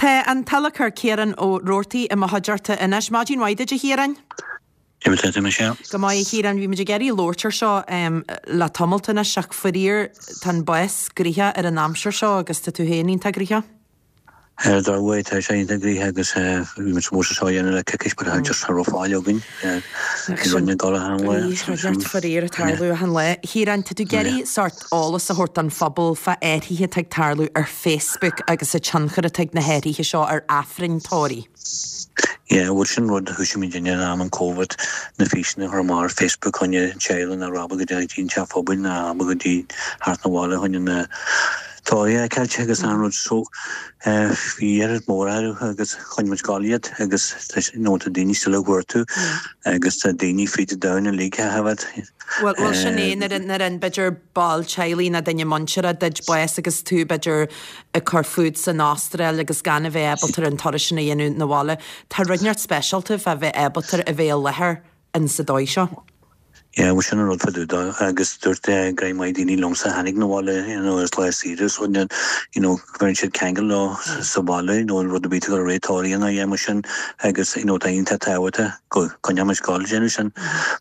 Tá an t-adhlacóir Ciarán Ó Rabhartaigh i mo chuideachta anois. Maidin mhaith duit a Chiaráin. Cad é mar tá tú Michelle? Go maith a Chiaráin, bhí muid ag iarraidh labhairt ar seo le tamalt anois ach faraor tá an bás gnoitheach ar an aimsir seo agus tá tú féin iontach gnoitheach. Ar dóigh, tá sé iontach gnoitheach agus bhí muid supposed seo a dhéanamh le coicís but just cha raibh faill againn. Bhí rudaí ag dul achan lá. Bhí neart faraor ag tarlú achan lá. Chiaráin, tá tú ag iarraidh sórt eolas a thabhairt don phobal fá athruithe atá ag tarlú ar Facebook agus an tionchar atá ag na hathruithe seo ar Aifrinn tórraimh. Yeah, bhuel sin rud a thoisigh muid in am an Covid, na físeanna a chur amach ar Facebook choinne teaghlaigh nach raibh ábalta go dtí an teach phobail ná ábalta go dtí theacht 'na bhaile choinne na tórraimh a fheiceáilt agus an rud so bhí iarracht mór orthu agus choinnigh muid ag gabháil iad agus tá you know tá daoine still ag cuartú agus tá daoine fríd an domhan uilig a thaifead. Bhuel, bhuel sin é, nuair a, nuair a b'fhéidir ball teaghlaigh nó duine muinteartha duit bás agus tú b'fhéidir ag cur fút san Astráil agus gan a bheith ábalta an turas sin a dhéanamh 'na bhaile, tá rud inteacht speisialta fá bheith ábalta a bheith i láthair in sa dóigh seo. Yeah, bhuel sin an rud fá dtaobh dó agus dúirt go maith daoine liomsa a tháinig 'na bhaile, you know, as lá saoire so you know, bheireann siad ceangal leo sa bhaile, you know, rud ar bith ag dul ar aghaidh tórraimh nó mar sin agus you know, tá iontach tábhachtach go gcoinneoidh muid ag gabháil ag déanamh sin.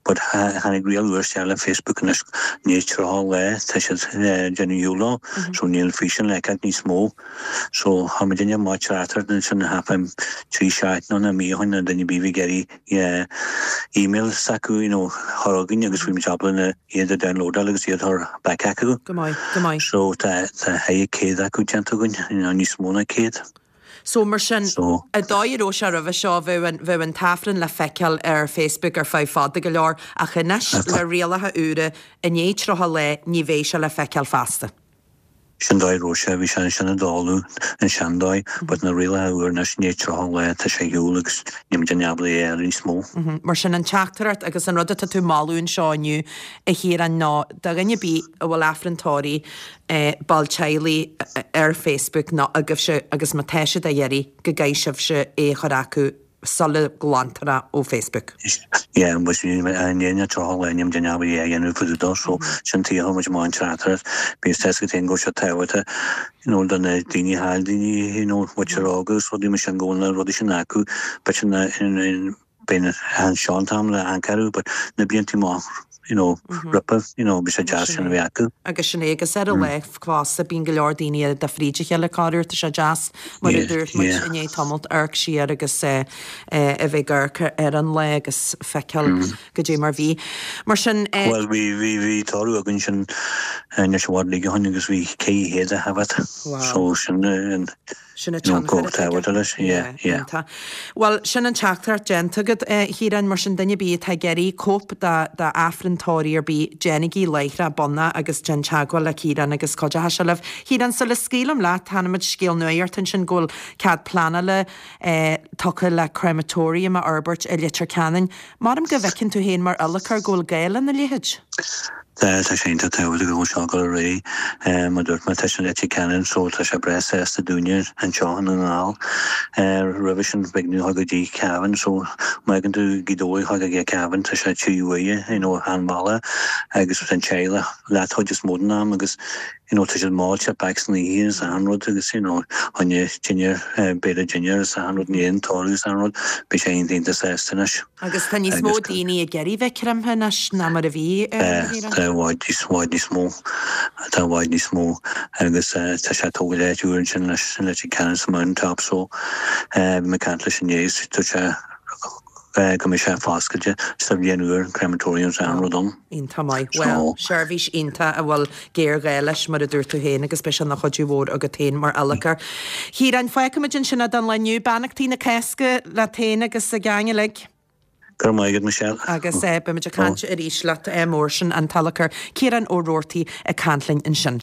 But tháinig riail úr isteach le Facebook anois i ndiaidh 30 lá tá siad ag déanamh shiúl leo so níl físeán le feiceáilt níos mó. So tá muid ag déanamh teachtaireacht ansin thart 3 seachtaine nó mí ó shin nó duine ar bith a bhí ag iarraidh email s'acu you know chur chugainn agus bhí muid ábalta na iad a downloadáil agus iad a chur back acu. Go maith, go maith. So tá tá 100 acu déanta againn, you know níos mó ná 100. So, mar sin, an dóigh a raibh sé roimhe seo, bheadh an, bheadh an tAifreann le feiceáil ar Facebook ar feadh fada go leor, ach anois, le rialacha úra, i ndiaidh 30 lá, ní bheidh sé le feiceáil feasta. Sin dóigh a raibh sé, bhí sé ansin ag dul, an seandóigh, but na rialacha úr anois, i ndiaidh 30 lá, tá sé ar shiúl agus níl muid in ábalta é a fháil níos mó. Mar sin, an teachtaireacht agus an rud atá tú ag moladh anseo inniu, a Chiaráin, ná do dhuine ar bith a bhfuil Aifreann tórraimh, ball teaghlaigh ar Facebook nó agaibhse agus má tá siad á iarraidh go gcaithfidh sibhse é a chur acu sula nglantar é ó Facebook. Yeah, but i ndiaidh na 30 lá níl muid in ábalta é a dhéanamh fá dtaobh dó so sin tuige a chuir muid amach an teachtaireacht. Bhí a fhios agat féin go raibh sé tábhachtach you know do na daoine a chaill daoine you know muintir óga agus rudaí mar sin go bhfuil na rudaí sin acu but in Beidh anseo an t-am le amharc but na blianta amach you know roimhe you know bhí sé deas sin a bheith acu. Agus sin é, agus ar an lá fosta bíonn go leor daoine ar fríd a chéile corruair, tá sé deas mar a dúirt muid i ndiaidh tamalt amharc siar agus a bheith ag amharc ar an lá agus feiceáil goidé mar bhí. Mar sin. Bhuel bhí bhí bhí tórramh againn sin anois i bhfad ligean agus bhí 400 a thaifead so sin an Sin an tionchar atá aige. Yeah, iontach. Bhuel, sin an teachtaireacht déanta agat, a Chiaráin, mar sin duine ar bith atá ag iarraidh cóip d'Aifreann tórraimh ar bith, déanaigí láithreach bonn agus déan teagmháil le Ciarán agus cuideoidh sé libh. Chiaráin, sula scaoilim leat, chonaic muid scéal nuachta ansin go bhfuil cead pleanála tugtha le crematorium a fhorbairt i Leitir Ceanainn. Maram go bhfeiceann tú féin mar adhlacóir go bhfuil gá lena leithéid? Tá, tá sé iontach tábhachtach go bhfuil seo ag dul ar aghaidh. Mar a dúirt mé, tá sé i Leitir Ceanainn so tá sé breá sásta dúinne anseo i nDún na nGall. Roimhe sin b'éigean dúinn a dhul go dtí Cavan so má fhaigheann tú Gaoth Dobhair a dhul go dtí Cavan tá sé 3 uaire you know an bhealach agus tá an teaghlach leat chuid is mó den am agus you know tá siad mall jet back san oíche agus achan rud agus you know choinne dinnéar béile dinnéar agus achan rud i ndiaidh an tórraimh agus achan rud beidh sé iontach iontach sásta anois. Agus tá níos mó daoine ag iarraidh bheith creimthe anois ná mar a bhí a Chiaráin. Tá i bhfad níos bhfad níos mó tá i bhfad níos mó agus tá sé ag tógáil áit úr ansin leis an Leitir Ceanainn sa Mountain Top so bhí mé ag caint leis inné agus dúirt sé go mbeidh sé foscailte sa bhliain úr, crematorium is achan rud ann. Iontach maith. Bhuel, seirbhís iontach a bhfuil géarghá leis, mar a dúirt tú féin, agus beidh sé ina chuidiú mhór agat féin mar adhlacóir. Chiaráin, fágfaimid ansin é don lá inniu. Beannachtaí na Cásca leat féin agus an geaing uilig. Go raibh maith agat, Michelle. Agus beimid ag caint arís leat mór sin an t-adhlacóir Ciarán Ó Rabhartaigh ag caint linn ansin.